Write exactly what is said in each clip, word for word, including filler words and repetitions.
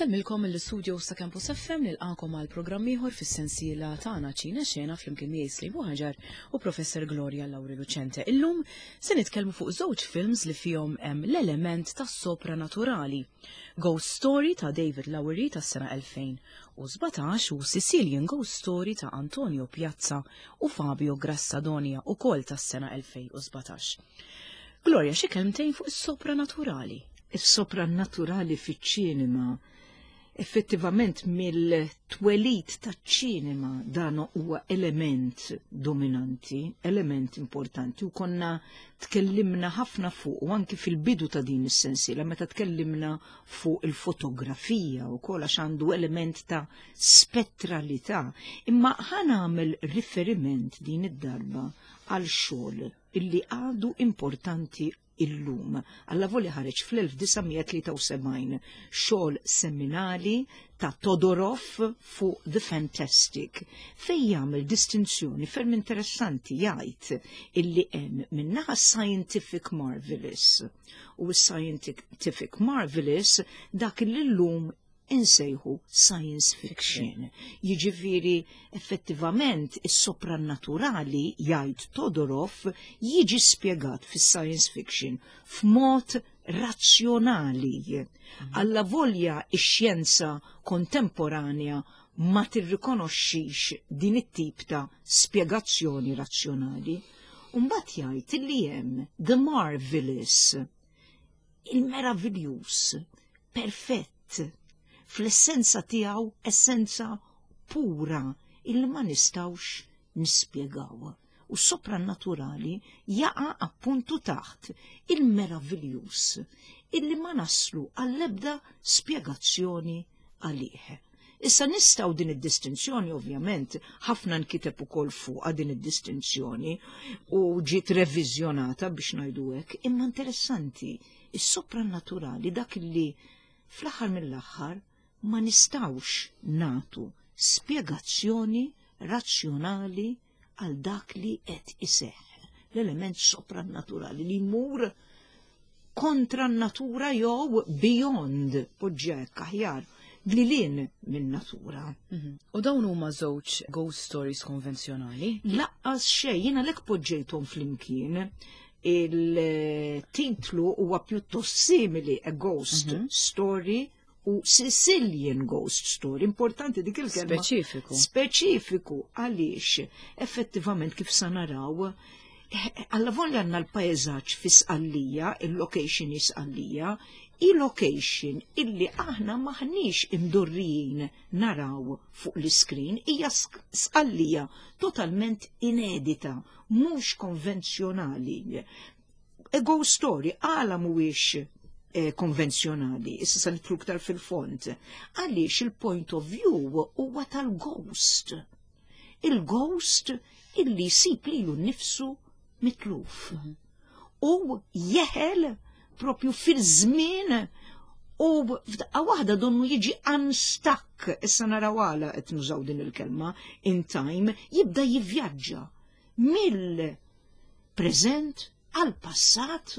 Insellmilkom mill-istudio sa' Campus F M, nilqakom għal programm ieħor fis-sensiela tagħna Ċina Xena flimkien miegħi Slibu Ħaġar u Professor Gloria Lauri Lucente. Illum se nitkellmu fuq żewġ films li fihom hemm l-element tas-sopranaturali. Ghost Story ta' David Lowery tas-sena elfejn u sbatax u Sicilian Ghost Story ta' Antonio Piazza u Fabio Grassadonia, ukoll tas-sena elfejn u sbatax. Gloria, xi kelmtejn fuq is-sopranaturali. Is-sopranaturali fiċ-ċinema, effettivament mill-twelid taċ-ċinema dan huwa element dominanti, element importanti, u konna tkellimna ħafna fuq u anki fil-bidu ta' din is-sensiela meta tkellimna fuq il-fotografija u kol għax għandu element ta' spettralità. Imma ħa nagħmel riferiment din id-darba għal xogħol illi għadu importanti illum. Allavolja ħareġ fl-elf disa' mija tlieta u sebgħin, xogħol seminali ta' Todorov fuq The Fantastic, fej jagħmel distinzjoni ferm interessanti, jgħid illi hemm minnaħa scientific marvelous, u scientific marvelous dak li llum insejħu science fiction. Jiġifieri effettivament is-soprannaturali, jgħid Todorov, jiġi spjegat fis-science fiction f'mod razzjonali. Allavolja ix-xjenza kontemporanja ma tirrikonoxxix din it-tip ta' spjegazzjoni razzjonali. Mbagħad jgħid li hemm the marvelous, il-meraviljuż, perfett, fl-essenza tiegħu, essenza pura illi ma nistgħux nispjegaw. U soprannaturali jaqa' appuntu taħt il-meraviljuż illi ma naslu għall-ebda spjegazzjoni għalih. Issa nistgħu din id-distinzjoni, ovvjament, ħafna nkiteb ukoll fuqha din id-distinzjoni u ġiet reviżjonata biex ngħidu hekk, imma interessanti, is-soprannaturali dak li fl-aħħar mill-aħħar ma nistgħux nagħtu spjegazzjoni razzjonali għal dak li qed iseħħ. L-element soprannaturali li jmur kontra n-natura jew beyond, poġġek aħjar, lil hinn minn natura. Mhm. U dawn huma żewġ ghost stories konvenzjonali? Lanqas xejn, jiena lek poġġejthom flimkien. Il-titlu huwa pjuttost simili, A Ghost mm -hmm. Story u Sicilian Ghost Story. Importanti dik il-kelma. Speċifiku. Speċifiku, għaliex effettivament kif sa naraw, allavolja għandna l-pajzaġġ fi Sqallija, il-location Sqallija, il-location illi aħna maħniex imdorrijin naraw fuq l-screen, hija Sqallija totalment inedita, mhux konvenzjonali. A Ghost Story għala mhuwiex eh, konvenzjonali, issa sa nidħlu iktar fil-fond, għaliex il-point of view huwa tal-ghost. Il-ghost illi jsib lilu nnifsu mitluf. Mm -hmm. U jeħel propju fil-żmien u f'daqqa waħda donnu jiġi unstuck, issa naraw għala qed nużaw din il-kelma, in time, jibda jivvjaġġa mill-preżent għal passat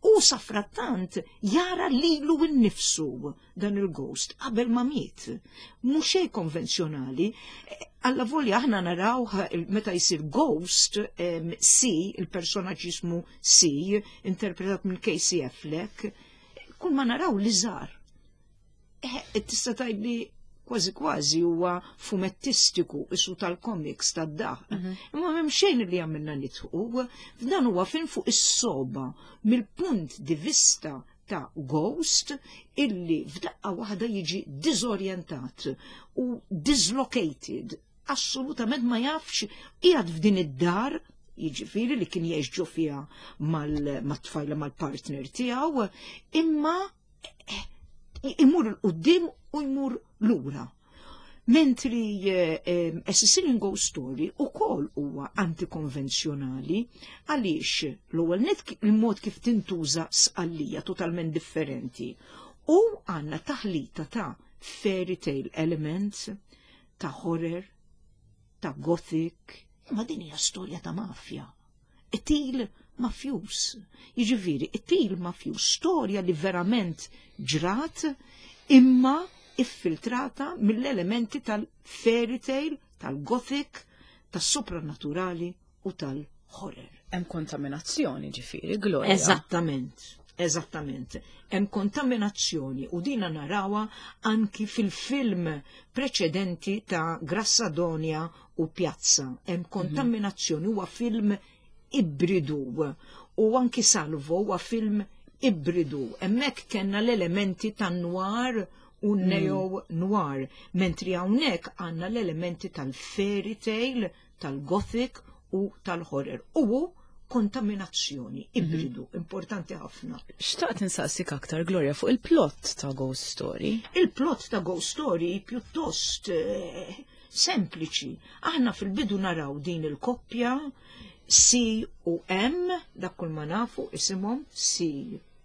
u safrattant jara lilu nnifsu dan il-ghost qabel ma miet. Mhux xejn konvenzjonali, allavolja aħna naraw meta jsir ghost si, il-personaġġ jismu si, interpretat minn Casey Affleck, kull ma naraw liżar. Eh, tista' tgħidli kważi kważi huwa fumettistiku, isu tal-comics tad-daħ. Mhm. Imma m'hemm xejn li għamilna nidħku, f'dan huwa film fuq is-soba mill-punt di vista ta' ghost illi f'daqqa waħda jiġi disorientat u dislocated, assolutament ma jafx qiegħed f'din id-dar, jiġifieri li kien jgħix ġo fiha mal-tfajla, mal-partner tiegħu, imma eh, imur 'il quddiem u jmur lura. Mentri eh, A Sicilian Ghost Story ukoll huwa antikonvenzjonali għaliex l-ewwel net il-mod kif tintuża Sqallija totalment differenti u għandna taħlita ta' fairy tale elements, ta' horror, ta' gothic, imma din hija storja ta' mafja. Qtil mafjuż. Jiġifieri, qtil mafjuż, storja li verament ġrat, imma iffiltrata mill-elementi tal-fairy tale, tal-gothic, tas-sopranaturali u tal-horror. Hemm kontaminazzjoni ġifieri, Gloria. Eżattament, eżattament. Hemm kontaminazzjoni u dina narawha anki fil-film preċedenti ta' Grassadonia u Piazza. Hemm kontaminazzjoni, huwa film ibridu u anki Salvo huwa film ibridu. Hemmhekk kellna l-elementi tan-noir u neo noir, mentri hawnhekk għandna l-elementi tal-fairy tale, tal-gothic u tal-horror. U kontaminazzjoni, ibridu, importanti ħafna. Xtaqt insaqsik aktar, Gloria, fuq il-plot ta' Ghost Story. Il-plot ta' Ghost Story pjuttost eh, sempliċi. Aħna fil-bidu naraw din il-koppja C u M, dak kull ma nafu isimhom C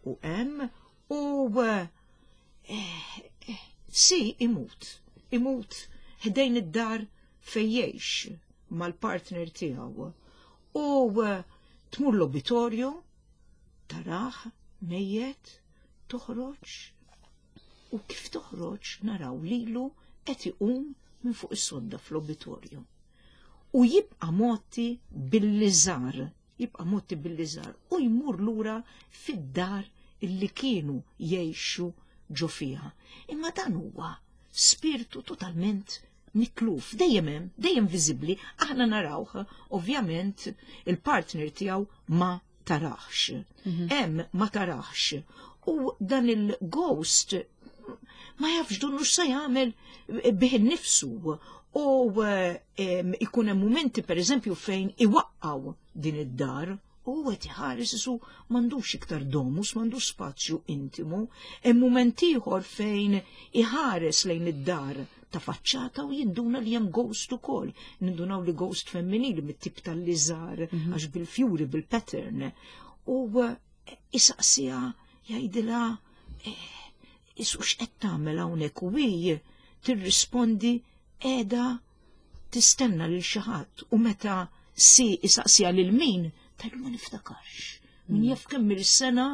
u M, u eh, eh, C imut, imut ħdejn id-dar fejn jgħix mal-partner tiegħu. U eh, tmur l-obitorju, tarah, mejjet, toħroġ, u kif toħroġ naraw lilu qed iqum minn fuq is-sodda fl-obitorju. U jibqa' mgħotti bil-liżar, jibqa' mgħotti bil-liżar u jmur lura fid-dar illi kienu jgħixu ġo fiha. Imma dan huwa spiritu totalment mitluf, dejjem hemm, dejjem viżibbli, aħna narawh, ovvjament il-partner tiegħu ma tarax. Hemm ma tarax. U dan il-ghost ma jafx donnu x'se jagħmel bih innifsu u em, ikun hemm mumenti pereżempju fejn iwaqqaw din id-dar u qed iħares isu m'għandux iktar domus, m'għandux spazju intimu. Hemm mument ieħor fejn iħares lejn id-dar ta' faċċata u jinduna li hemm ghost ukoll. Nindunaw li ghost femminili mit-tip tal-liżar għax bil-fjuri, bil-pattern. U eh, isaqsiha, jgħidilha eh, isu x'qed tagħmel hawnhekk u hi tirrispondi qiegħda tistenna lil xi ħadd u meta si isaqsiha lil min tgħidlu ma niftakarx. Min jaf kemm il-sena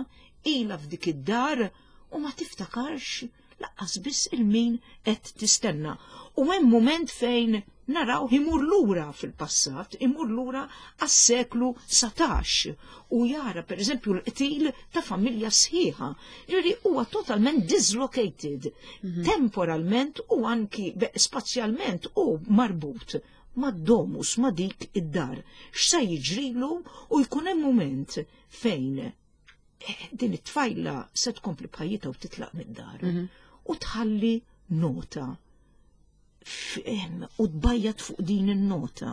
ilha f'dik id-dar u ma tiftakarx lanqas biss il-min qed tistenna. U hemm moment fejn naraw imur lura fil-passat, imur lura għas-seklu satax u jara per eżempju l-qtil ta' familja sħiħa. Ġifieri huwa totalment dislocated, temporalment u anki be- spazjalment u marbut ma' domus, ma' dik id-dar. X'sa jiġrilu u jkun hemm moment fejn eh, din it-tfajla se tkompli b'ħajjitha u titlaq mid-dar. U tħalli nota f- em, u tbajjat fuq din in-nota.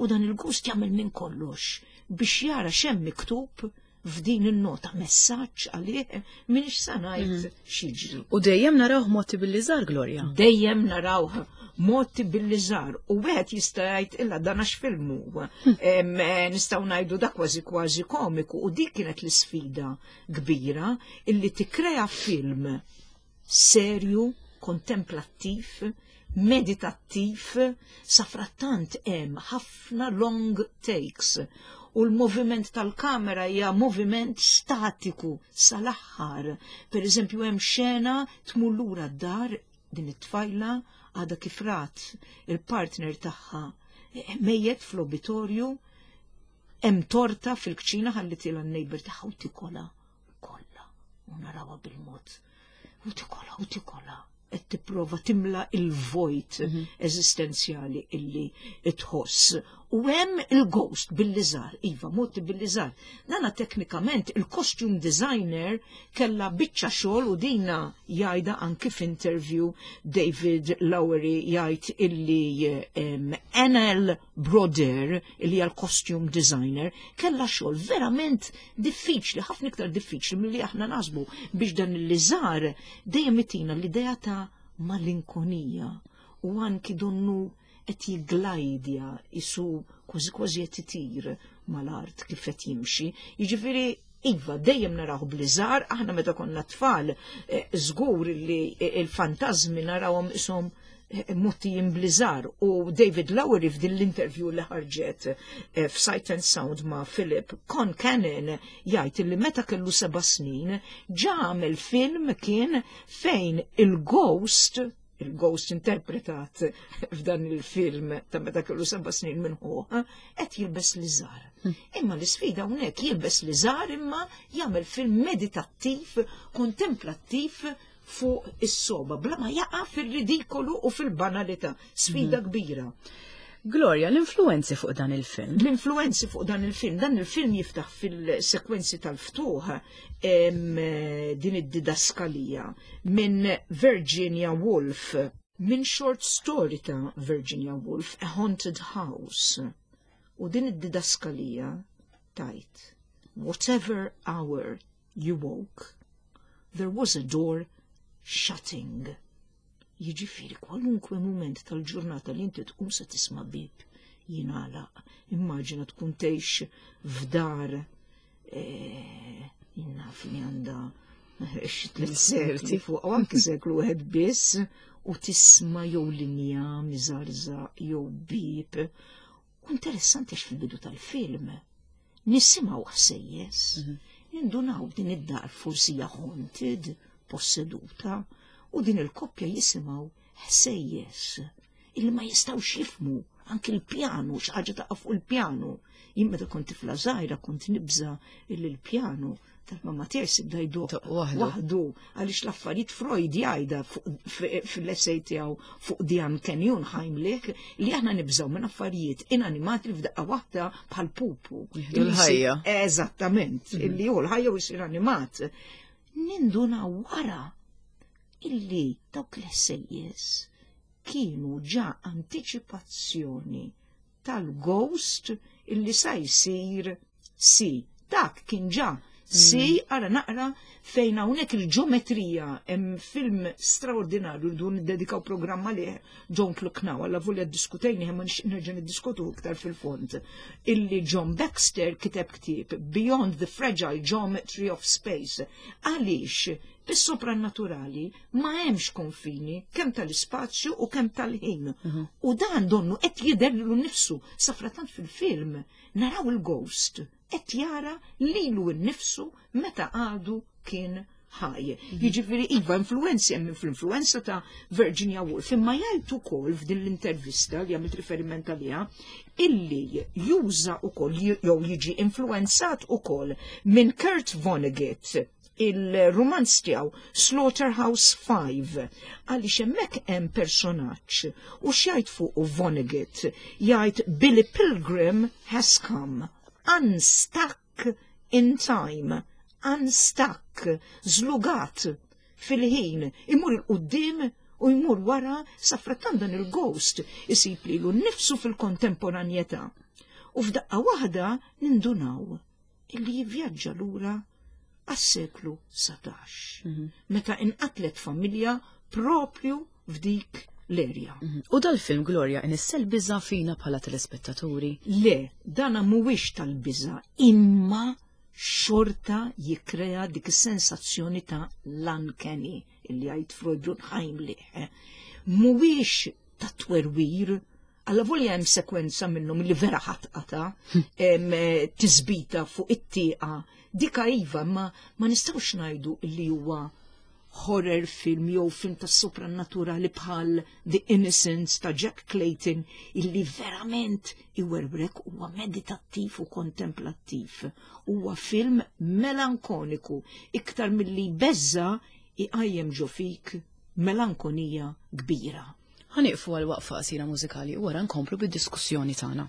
U dan il-ghost jagħmel minn kollox biex jara x'hemm miktub f'din in-nota, messaġġ għalih minix sa ngħid x'jiġri. U dejjem narawh mgħotti bil-liżar, Gloria. Dejjem narawh mgħotti bil-liżar u wieħed jista' jgħid illa dan għax film huwa. Em, eh, Nistgħu ngħidu da kważi kważi komiku u dik kienet l-isfida kbira illi tikkrea film serju, kontemplattiv, meditattiv, safrattant hemm ħafna long takes u l-moviment tal-kamera hija moviment statiku sal-aħħar. Per eżempju hemm xena tmur lura d-dar din it-tfajla għadha kif rat il-partner tagħha eh, mejjet fl-obitorju, hemm torta fil-kċina ħallitilha n-neighbor tagħha u tikola kollha u narawha bil-mod. U tikola u tikola qed tipprova timla il-vojt eżistenzjali illi tħoss. U hemm il-ghost bil-liżar, iva, mgħotti bil-liżar. Dana teknikament il-costume designer kella biċċa xogħol u dina jgħidha anki f'interview David Lowery jgħid illi um, N L. Brodeur illi hija l-costume designer kella xogħol verament diffiċli, ħafna iktar diffiċli milli aħna naħsbu biex dan il-liżar dejjem itina l-idea ta' malinkonija u anki donnu qed jiglajdja isu kważi kważi qed itir mal-art kif qed jimxi. Jiġifieri iva, dejjem naraw bl-liżar, aħna meta konna tfal, eh, żgur li il-fantażmi narawhom ishom Mgħottijin b'liżar. U David Lowery, f'din l-interview li ħarġet eh, f'Sight and Sound ma' Philip Concannon, jgħid li meta kellu seba' snin ġa għamel film kien fejn il-ghost il-ghost interpretat f'dan il-film ta' meta kellu seba' snin minn ħuh, qed jilbes liżar. Imma l-isfida hawnhekk, jilbes liżar imma jagħmel film meditattiv, kontemplattiv fuq is-soba, bla ma jaqa' fil-ridikolu u fil-banalità. Sfida kbira. Gloria, l-influenzi fuq dan il-film. L-influenzi fuq dan il-film, dan il-film jiftaħ fil-sekwenzi tal-ftuħ em, din id-didaskalija minn Virginia Woolf, minn short story ta' Virginia Woolf, A Haunted House. U din id-didaskalija tgħid, "Whatever hour you woke, there was a door shutting." Jiġifieri kwalunkwe moment tal-ġurnata li inti tqum se tisma' bib jingħalaq. Immaġina tkun tgħix f'dar eh, naf li għandha xi tliet sekli fuq u anki seklu wieħed biss u tisma' jew linja miżarżaq jew bib. U interessanti għax fil-bidu tal-film nisimgħu ħsejjes, nindunaw din id-dar forsi hija haunted, posseduta, u din il-koppja jisimgħu ħsejjes illi ma jistgħux jifhmu, anki l-pjanu, xi ħaġa taqa' fuq il-pjanu. Jien meta kont tifla żgħira kont nibża illi l-pjanu tal-mamma tiegħi se jibda jdoqq Doq waħdu. waħdu, għaliex l-affarijiet Freud jgħidha fil-essay tiegħu fuq The Uncanny Unheimlich li aħna nibżgħu minn affarijiet inanimati li f'daqqa waħda bħal pupu. Jieħdu l-ħajja. Eżattament, illi hu l-ħajja u jsir animat. Ninduna wara illi dawk l-ħsejjes kienu ġa anticipazzjoni tal-ghost illi sa jsir si. Dak kien ġa si, ara naqra fejn hawnhekk il-ġeometrija. Hemm film straordinarju li dun niddedikaw programma li Don't Look Now, alla volja diskutejni ma nixtieq nerġa' niddiskutu iktar fil-fond. Illi John Baxter kiteb ktieb Beyond the Fragile Geometry of Space. Għaliex bis-soprannaturali ma hemmx konfini kemm tal-ispazju u kemm tal-ħin. U dan donnu qed jidher lilu nnifsu safratant fil-film naraw il-ghost qed jara lilu nnifsu meta għadu kien ħaj. Jiġifieri iva, influenzi hemm, fl-influenza ta' Virginia Woolf, imma jgħid ukoll f'din l-intervista li għamilt riferiment għaliha illi juża ukoll jew jiġi influenzat ukoll minn Kurt Vonnegut, il-romanz tiegħu Slaughterhouse Five, għaliex hemmhekk hemm personaġġ u x'jgħid fuq Vonnegut, jgħid, "Billy Pilgrim has come unstuck in time," unstuck, żlugat fil-ħin, imur 'il quddiem u jmur wara, safrattan dan il-ghost isib lilu nnifsu fil-kontemporanjetà. U f'daqqa waħda nindunaw illi jivvjaġġa lura għas-seklu satax. Meta inqatlet familja propju f'dik l-erja. U dal-film, Gloria, inissel biża fina bħala telespettaturi? Le, dana mhuwiex tal-biża, imma xorta jikrea dik is-sensazzjoni ta' l-uncanny illi jgħid Freud, l-unheimlich. Mhuwiex ta' twerwir, alla volja hemm sekwenza minnhom li vera ħatqata, em, eh, tisbita fuq it-tieqa, dika iva, ma, ma nistgħux ngħidu li huwa horror film jew film ta' soprannaturali bħal The Innocents ta' Jack Clayton illi verament iwerbrek. Huwa meditattiv u kontemplattiv. Huwa film melankoniku iktar milli beża', iqajjem ġo fik melankonija kbira. Ħa nieqfu għal waqfa qasira mużikali u wara nkomplu bid-diskussjoni tagħna.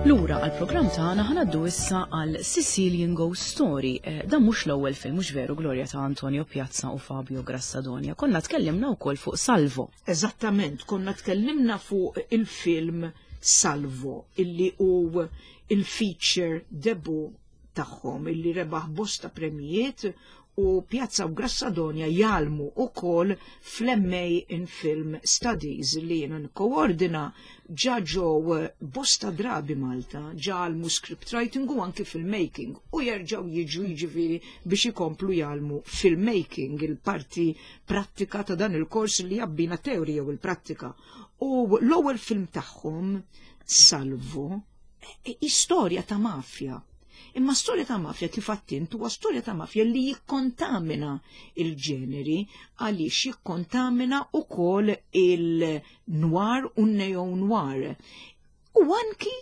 Lura għal-programm tagħna, ħa ngħaddu issa għal Sicilian Ghost Story. Eh, dan mhux l-ewwel film, mhux veru, Gloria, ta' Antonio Piazza u Fabio Grassadonia? Konna tkellimna wkoll fuq Salvo. Eżattament, konna tkellimna fuq il-film Salvo, illi hu il-feature debut tagħhom, illi rebaħ bosta premijiet, u Piazza u Grassadonia jgħallmu ukoll fl-M A in Film Studies li jiena nkoordina. Ġa ġew bosta drabi Malta, ġa għallmu script writing u anki filmmaking u jerġgħu jiġu, jiġifieri, biex ikomplu jgħallmu filmmaking, il-parti prattika ta' dan il-kors li jabbina teorija u l-prattika. U l-ewwel film tagħhom, Salvo, istorja ta' mafja. Imma storja ta' mafja, kif għedt, huwa storja ta' mafja li jikkontamina il-ġeneri, għaliex jikkontamina ukoll il-noir u neo-noir. U anki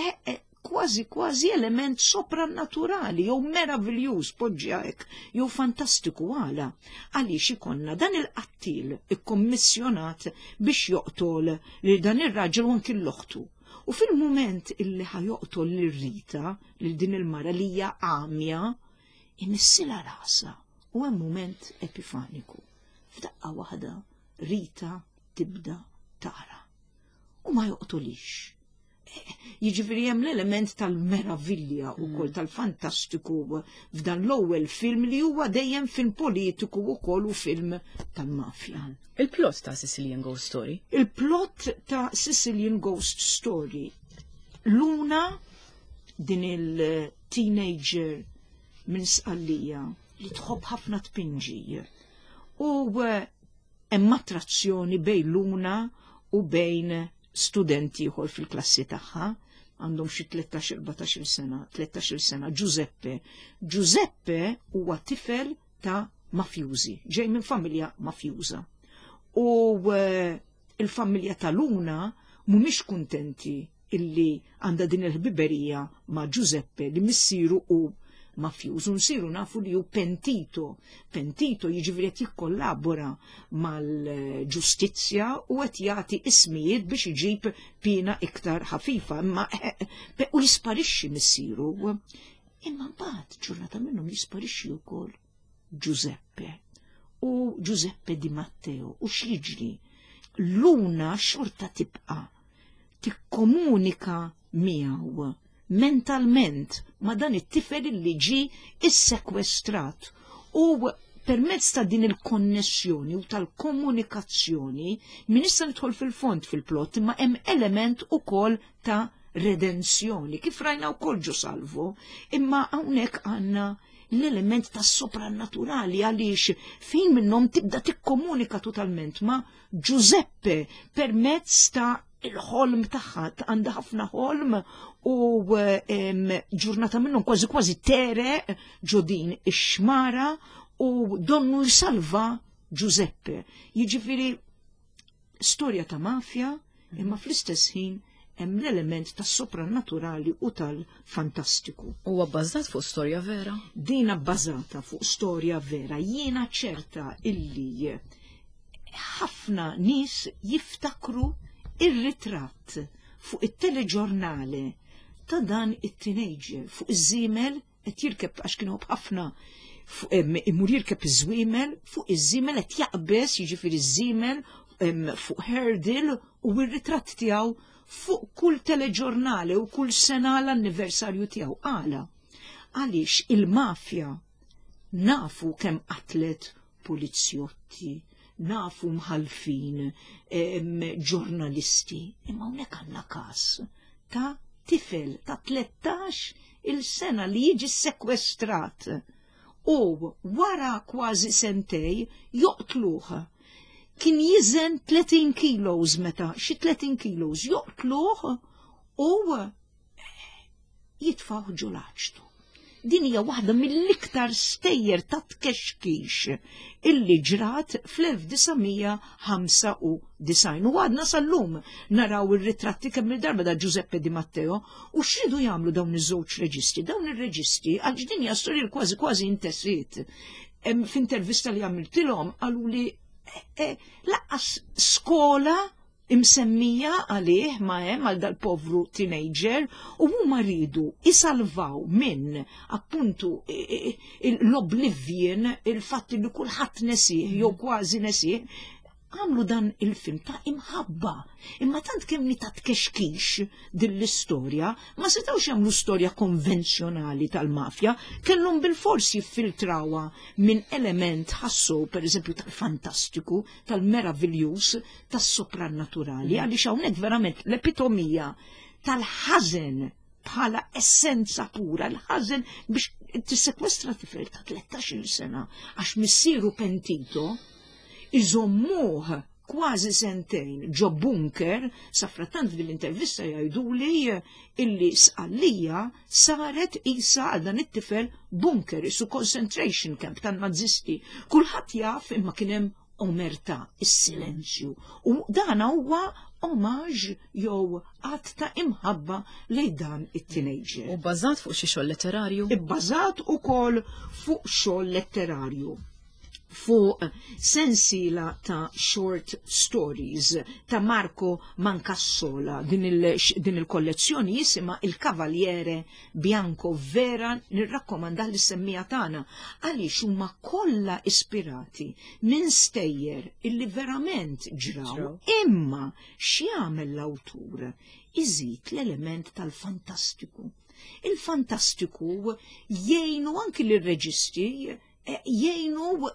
eh, eh, kważi kważi element soprannaturali jew meraviljuż, poġġi hekk, jew fantastiku. Għala? Għaliex ikollna dan il-qattil ikkommissjonat biex joqtol lil dan ir-raġel u anki l-oħtu. U fil-moment illi ħa joqtol lil Rita, lil din il-mara li hija għamja, imissilha rasha u hemm moment epifaniku. F'daqqa waħda Rita tibda tara. U ma joqtolix. Jiġifieri hemm l-element tal-meravilja ukoll tal-fantastiku f'dan l-ewwel film li huwa dejjem film politiku wkoll u film tal-mafja. Il-plot ta' Sicilian Ghost Story. Il-plot ta' Sicilian Ghost Story. Luna, din il-teenager minn Sqallija li tħobb ħafna tpinġi. U eh, hemm attrazzjoni bejn Luna u bejn studenti ieħor fil-klassi tagħha, għandhom xi tlettax-erbatax-il sena, tlettax-il sena, Giuseppe. Giuseppe huwa tifel ta' mafjużi, ġej minn familja mafjuża. U eh, il-familja ta' Luna mhumiex kuntenti illi għandha din il-ħbiberija ma' Giuseppe li missieru hu mafjuż. U nsiru nafu li hu pentito. Pentito jiġifieri qed jikkollabora mal-ġustizzja u qed jagħti ismijiet biex iġib pina iktar ħafifa, imma eh, u jisparixxi missieru. Imma mbagħad ġurnata minnhom jisparixxi wkoll Giuseppe. U Giuseppe Di Matteo, u x'jiġri? Luna xorta tibqa' tikkomunika miegħu mentalment, ma' dan it-tifel li ġi issekwestrat, u permezz ta' din il-konnessjoni u tal-komunikazzjoni, min issa nidħol fil-fond fil-plot, imma hemm element ukoll ta' redenzjoni, kif rajna wkoll ġo Salvo, imma hawnhekk għandna l-element ta' soprannaturali, għaliex fejn minnhom tibda tikkomunika totalment ma' Giuseppe permezz ta' il-ħolm tagħha, għandha ħafna ħolm, u em, ġurnata minnhom kważi kważi tegħreq ġo din ix-xmara u donnu jsalva Giuseppe. Jiġifieri storja ta' mafja, imma fl-istess ħin hemm l-element tas soprannaturali u tal-fantastiku. Huwa bbażat fuq storja vera? Dina bbażata fuq storja vera. Jiena ċerta illi ħafna nies jiftakru ir-ritratt fuq it-teleġornale ta' dan it-teenager fuq iż-żiemel qed jirkeb, għax kienu ħafna imur jirkeb iż-żwiemel, fuq iż-żiemel qed jaqbeż, jiġifieri iż-żiemel fuq hurdle, u r-ritratt tiegħu fuq kull teleġornale u kull sena l-anniversarju tiegħu. Għala? Għaliex il-mafja nafu kemm qatlet polizjotti, nafu mħalfin, ġurnalisti, imma hawnhekk għandna każ ta' tifel ta' tlettax il-sena li jiġi sekwestrat u wara kważi sentejn joqtluh. Kien jiżen tletin kilos meta, xi tletin kilos, joqtluh u jitfgħuh ġol-aċtu. Din hija waħda mill-iktar stejjer ta' tkexkix illi ġrat fl-elf disa' mija ħamsa u disgħin. U għadna sal-lum naraw ir-ritratti kemm il-darba da Giuseppe Di Matteo. U x'ridu jagħmlu dawn iż-żewġ reġisti? Dawn ir-reġisti, għal din hija storja kważi kważi intesiet. F'intervista li għamiltilhom qalu li eh, eh, lanqas skola Imsemmija għalih ma hemm għal dal-povru teenager u huma rridu isalvaw minn appuntu l-oblivion, il-fatt li kulħadd nesih jew kważi nesih, għamlu dan il-film ta' imħabba. Imma tant kemm ta' tkexkix din l-istorja, ma setawx jagħmlu storja konvenzjonali tal-mafja, kellhom bil-fors jiffiltrawha minn element ħassu, per eżempju, tal-fantastiku, tal-meravigliuż, tas-soprannaturali, għaliex hawnhekk verament l-epitomija tal-ħażen bħala essenza pura, l-ħażen biex tissekwestra tifel ta' tlettax-il sena għax missieru pentito, iżommuh kważi sentejn ġo bunker. Safrattant fil-intervista jgħiduli illi Sqallija saret isa għal dan it-tifel bunker, isu concentration camp tan-nazisti. Kulħadd jaf imma kien hemm omerta, is-silenzju. U dan huwa omaġ jew att ta' imħabba lejn dan it-teenager. U bbażat fuq xi xogħol letterarju? Ibbażat ukoll fuq xogħol letterarju, fuq sensila ta' short stories ta' Marco Mancassola. Din il-kollezzjoni jisimha Il Cavaliere Bianco. Vera nirrakkomanda li semmija tagħna għaliex huma kollha ispirati minn stejjer illi verament ġraw. Imma x'jagħmel l-awtur? Iżid l-element tal-fantastiku. Il-fantastiku jgħinu anki l-reġisti, eh, jgħinu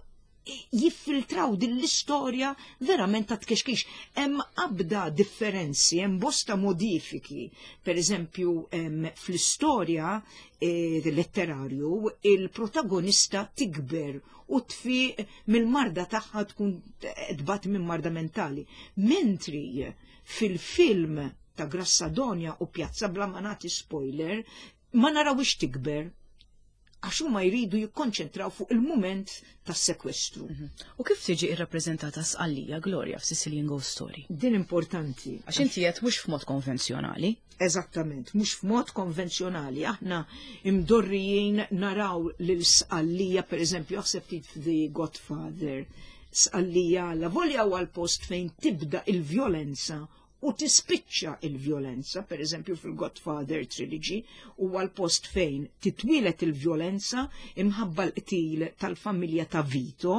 jiffiltraw din l-istorja verament ta' tkexkix. Hemm abda differenzi, hemm bosta modifiki. Per eżempju, fl-istorja eh, letterarju, il-protagonista tikber u tfiq mill-marda tagħha, tkun tbat minn marda mentali. Mentri fil-film ta' Grassadonia u Piazza, bla ma nagħti spoiler, ma narawix tikber għax huma jridu jikkonċentraw fuq il-mument tas-sekwestru. Mhm. U kif tiġi irrappreżentata Sqallija, Gloria, f'Sicilian Ghost Story? Din importanti. Għax inti qed mhux f'mod konvenzjonali. Eżattament, mhux f'mod konvenzjonali. Aħna imdorrijin naraw lil Sqallija, per eżempju, aħseb ftit The Godfather. Sqallija la volja huwa l-post fejn tibda il-vjolenza u tispiċċa il-vjolenza, per eżempju fil-Godfather Trilogy, huwa l-post fejn titwilet il-vjolenza imħabba l-qtil tal-familja ta' Vito,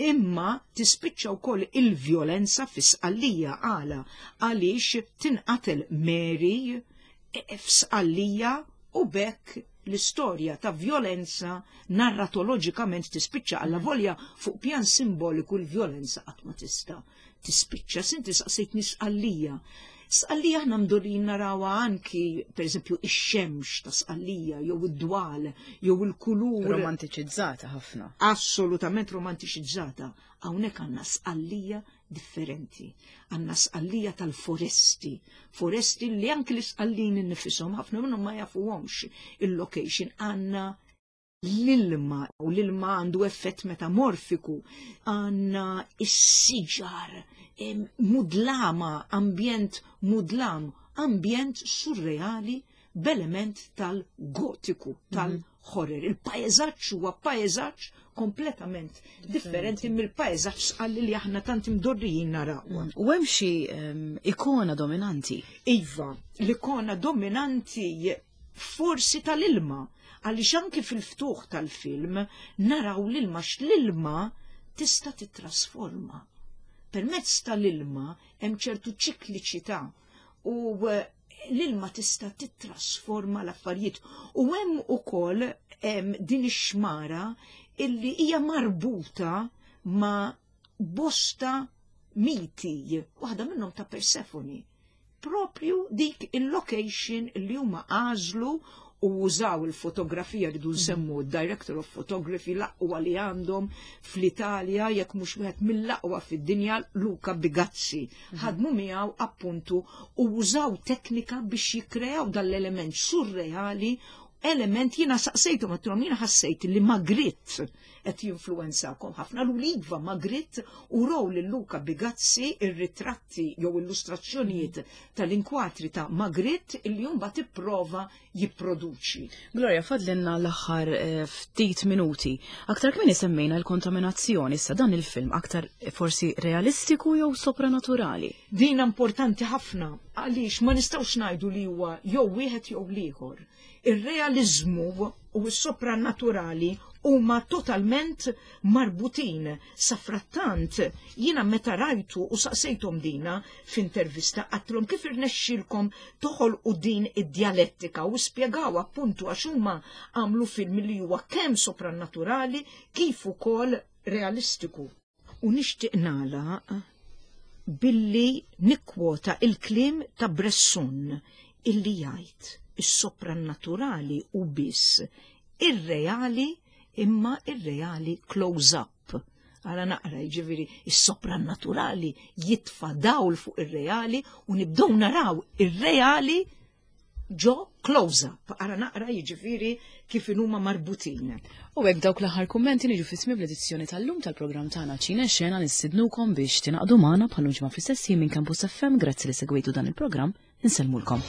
imma tispiċċa wkoll il-vjolenza fi Sqallija. Għala? Għaliex tinqatel Mary e, f'Sqallija u bekk l-istorja ta' vjolenza narratoloġikament tispiċċa, għalla volja fuq pjan simboliku l-vjolenza qatt ma tista' tispiċċa. Inti saqsejtni Sqallija. Sqallija aħna mdorrijin narawha anki, per eżempju, ix-xemx ta' Sqallija, jew id-dwal, jew il-kulur. Romantiċizzata ħafna. Assolutament romantiċizzata. Hawnhekk għandna Sqallija differenti. Għandna Sqallija tal-foresti. Foresti li anki l-Isqallin innifisom ħafna minnhom ma jafuhomx il-location. Għandna l-ilma u l-ilma għandu effett metamorfiku, għandna is-siġar, mudlama, ambjent mudlam, ambjent surreali b'element tal-gotiku, tal-horror. Il-paeżaġġ huwa paeżaġġ kompletament differenti mill-paeżaġġ Sqalli li aħna tant imdorrijin naraw. Mm. U hemm xi ikona dominanti? Iva, l-ikona dominanti forsi tal-ilma, għaliex anki fil-ftuħ tal-film naraw l-ilma, l-ilma tista' titrasforma. Permezz tal-ilma hemm ċertu ċikliċità u eh, l-ilma tista' titrasforma l-affarijiet u hemm ukoll din ix-xmara illi hija marbuta ma' bosta miti, waħda minnhom ta' Persefoni. Propju dik il-location li huma għażlu u użaw il-fotografija, rridu nsemmu director of photography, l-aqwa li għandhom fl-Italja, jekk mhux wieħed mill-aqwa fid-dinja, Luca Bigazzi. Mhm. Ħadmu miegħu appuntu u użaw teknika biex jikkreaw dal-element surreali. element. Jiena saqsejtu, għedtilhom jiena ħassejt li Magritte qed jinfluwenzakom ħafna. L iva, Magritte, u raw lil Luca Bigazzi ir-ritratti jew illustrazzjonijiet tal-inkwatri ta' Magritte illi mbagħad ipprova jipproduċi. Gloria, fadlinna l-aħħar eh, ftit minuti. Aktar kmieni semmejna l-kontaminazzjoni, issa dan il-film aktar forsi realistiku jew sopranaturali? Din importanti ħafna għaliex ma nistgħux ngħidu li huwa jew wieħed jew l-ieħor. Ir-realizmu u s-sopranaturali huma totalment marbutin. Safrattant, jiena meta rajtu u saqsejthom dina f'intervista, għedtilhom kif irnexxilkom toħolqu din id-djalettika, u spjegaw appuntu għax huma għamlu film li huwa kemm sopranaturali kif ukoll realistiku. U nixtieq nagħlaq billi nikkwota il-kliem ta' Bresson illi jgħid: "Is-soprannaturali hu biss ir-reali, imma ir-reali close up." Għala naqra, ġifieri, is-soprannaturali jitfa dawl fuq ir-reali u nibdew naraw ir-reali ġo close up. Għara naqra, jiġifieri, kif huma marbutin. U hekk dawk l-aħħar kummenti niġu fi tmiem l-edizzjoni tal-lum tal-programm tagħna Ċine Xena. Nistidnukom biex tingħaqdu magħna bħal ġimgħa fl-istess minn Campus F M. Grazzi li segwejtu dan il-programm. Insellmulkom.